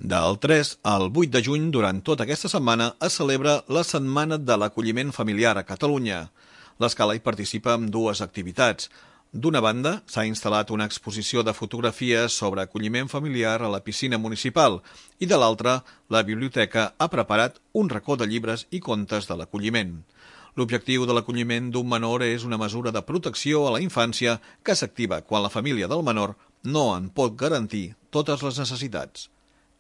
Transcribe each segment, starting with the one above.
Del 3 al 8 de juny, durant tota aquesta setmana, es celebra la Setmana de l'Acolliment Familiar a Catalunya. L'Escala hi participa amb dues activitats. D'una banda, s'ha instal·lat una exposició de fotografies sobre acolliment familiar a la piscina municipal i de l'altra, la biblioteca ha preparat un racó de llibres i contes de l'acolliment. L'objectiu de l'acolliment d'un menor és una mesura de protecció a la infància que s'activa quan la família del menor no en pot garantir totes les necessitats.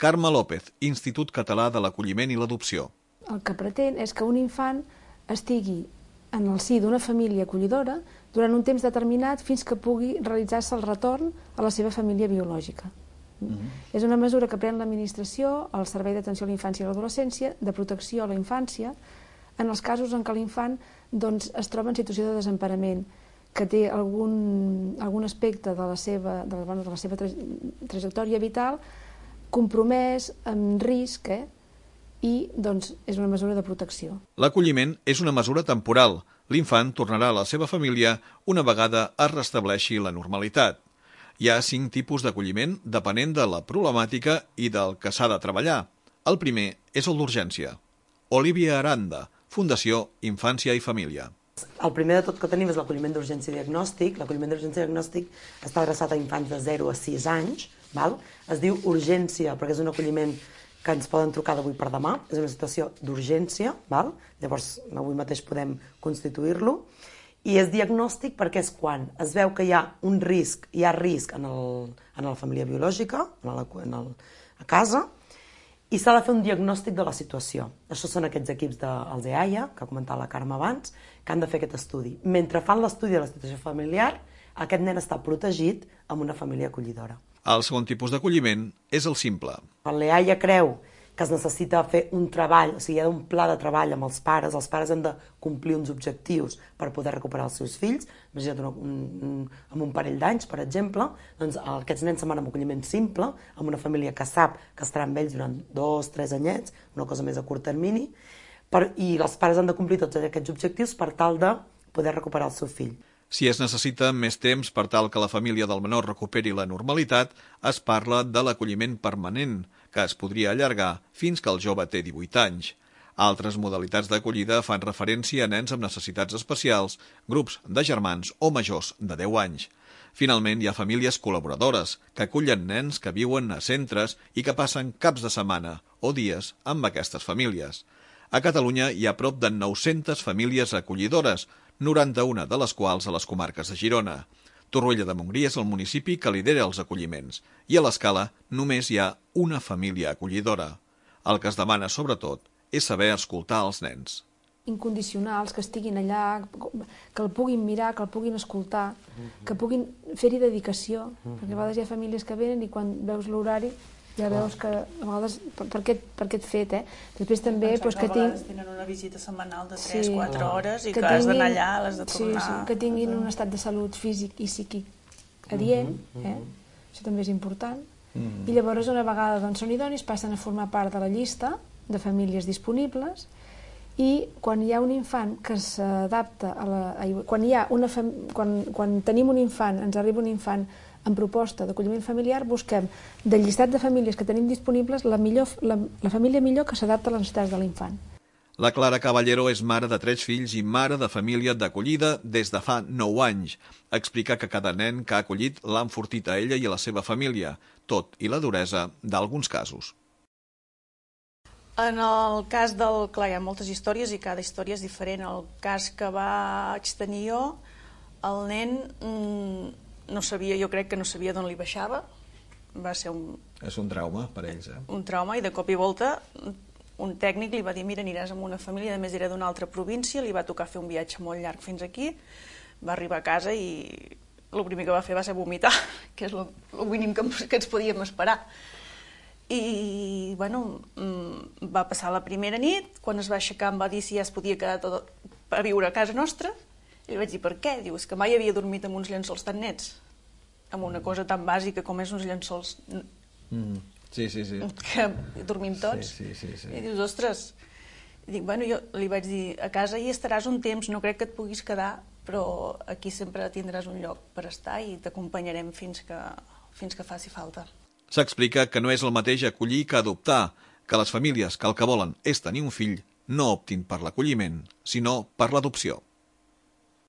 Carme López, Institut Català de l'Acolliment i l'Adopció. El que pretén és que un infant estigui en el si d'una família acollidora durant un temps determinat fins que pugui realitzar-se el retorn a la seva família biològica. És una mesura que pren l'administració, el Servei d'Atenció a la Infància i l'Adolescència, de protecció a la infància, en els casos en què l'infant es troba en situació de desemparament, que té algun aspecte de la seva trajectòria vital compromès, amb risc, i és una mesura de protecció. L'acolliment és una mesura temporal. L'infant tornarà a la seva família una vegada es restableixi la normalitat. Hi ha 5 tipus d'acolliment depenent de la problemàtica i del que s'ha de treballar. El primer és el d'urgència. Olivia Aranda, Fundació Infància i Família. El primer de tot que tenim és l'acolliment d'urgència i diagnòstic. L'acolliment d'urgència i diagnòstic està adreçat a infants de 0 a 6 anys. Es diu urgència perquè és un acolliment que ens poden trucar d'avui per demà. És una situació d'urgència, llavors avui mateix podem constituir-lo. I és diagnòstic perquè és quan es veu que hi ha un risc, hi ha risc en la família biològica, a casa, i s'ha de fer un diagnòstic de la situació. Això són aquests equips dels EAIA, que ha comentat la Carme abans, que han de fer aquest estudi. Mentre fan l'estudi de la situació familiar, aquest nen està protegit amb una família acollidora. El segon tipus d'acolliment és el simple. Quan l'EAIA creu que es necessita fer un treball, o sigui, hi ha un pla de treball amb els pares han de complir uns objectius per poder recuperar els seus fills, imagina't amb un parell d'anys, per exemple, doncs aquests nens se'n van amb acolliment simple, amb una família que sap que estarà amb ells durant 2-3 anyets, una cosa més a curt termini, i els pares han de complir tots aquests objectius per tal de poder recuperar el seu fill. Si es necessita més temps per tal que la família del menor recuperi la normalitat, es parla de l'acolliment permanent, que es podria allargar fins que el jove té 18 anys. Altres modalitats d'acollida fan referència a nens amb necessitats especials, grups de germans o majors de 10 anys. Finalment, hi ha famílies col·laboradores que acullen nens que viuen a centres i que passen caps de setmana o dies amb aquestes famílies. A Catalunya hi ha prop de 900 famílies acollidores, 91 de les quals a les comarques de Girona. Torroella de Montgrí és el municipi que lidera els acolliments i a l'Escala només hi ha una família acollidora. El que es demana, sobretot, és saber escoltar els nens. Incondicionals, que estiguin allà, que el puguin mirar, que el puguin escoltar, que puguin fer-hi dedicació, perquè a vegades hi ha famílies que venen i quan veus l'horari ja veus que a vegades per aquest fet, Després també que a vegades tenen una visita setmanal de 3-4 hores i que has d'anar allà, l'has de tornar... Sí, que tinguin un estat de salut físic i psíquic adient, això també és important. I llavors una vegada són idonis passen a formar part de la llista de famílies disponibles i quan hi ha un infant que s'adapta a la... Quan tenim un infant, ens arriba un infant en proposta d'acolliment familiar, busquem del llistat de famílies que tenim disponibles la família millor que s'adapta a les necessitats de l'infant. La Clara Caballero és mare de 3 fills i mare de família d'acollida des de fa 9 anys. Explica que cada nen que ha acollit l'ha enfortit a ella i a la seva família, tot i la duresa d'alguns casos. En el cas del... Clar, hi ha moltes històries i cada història és diferent. El cas que vaig tenir jo, el nen no sabia, jo crec que no sabia d'on li baixava. Va ser un... És un trauma per ells, Un trauma, i de cop i volta un tècnic li va dir, mira, aniràs amb una família, a més era d'una altra província, li va tocar fer un viatge molt llarg fins aquí, va arribar a casa i el primer que va fer va ser vomitar, que és el mínim que ens podíem esperar. I, bueno, va passar la primera nit, quan es va aixecar em va dir si ja es podia quedar tot a viure a casa nostra, i li vaig dir, per què? Diu, és que mai havia dormit amb uns llençols tan nets, amb una cosa tan bàsica com és uns llençols... Sí. Que dormim tots. Sí. I dius, ostres... I dic, bueno, jo li vaig dir, a casa hi estaràs un temps, no crec que et puguis quedar, però aquí sempre tindràs un lloc per estar i t'acompanyarem fins que faci falta. S'explica que no és el mateix acollir que adoptar, que les famílies que el que volen és tenir un fill no optin per l'acolliment, sinó per l'adopció.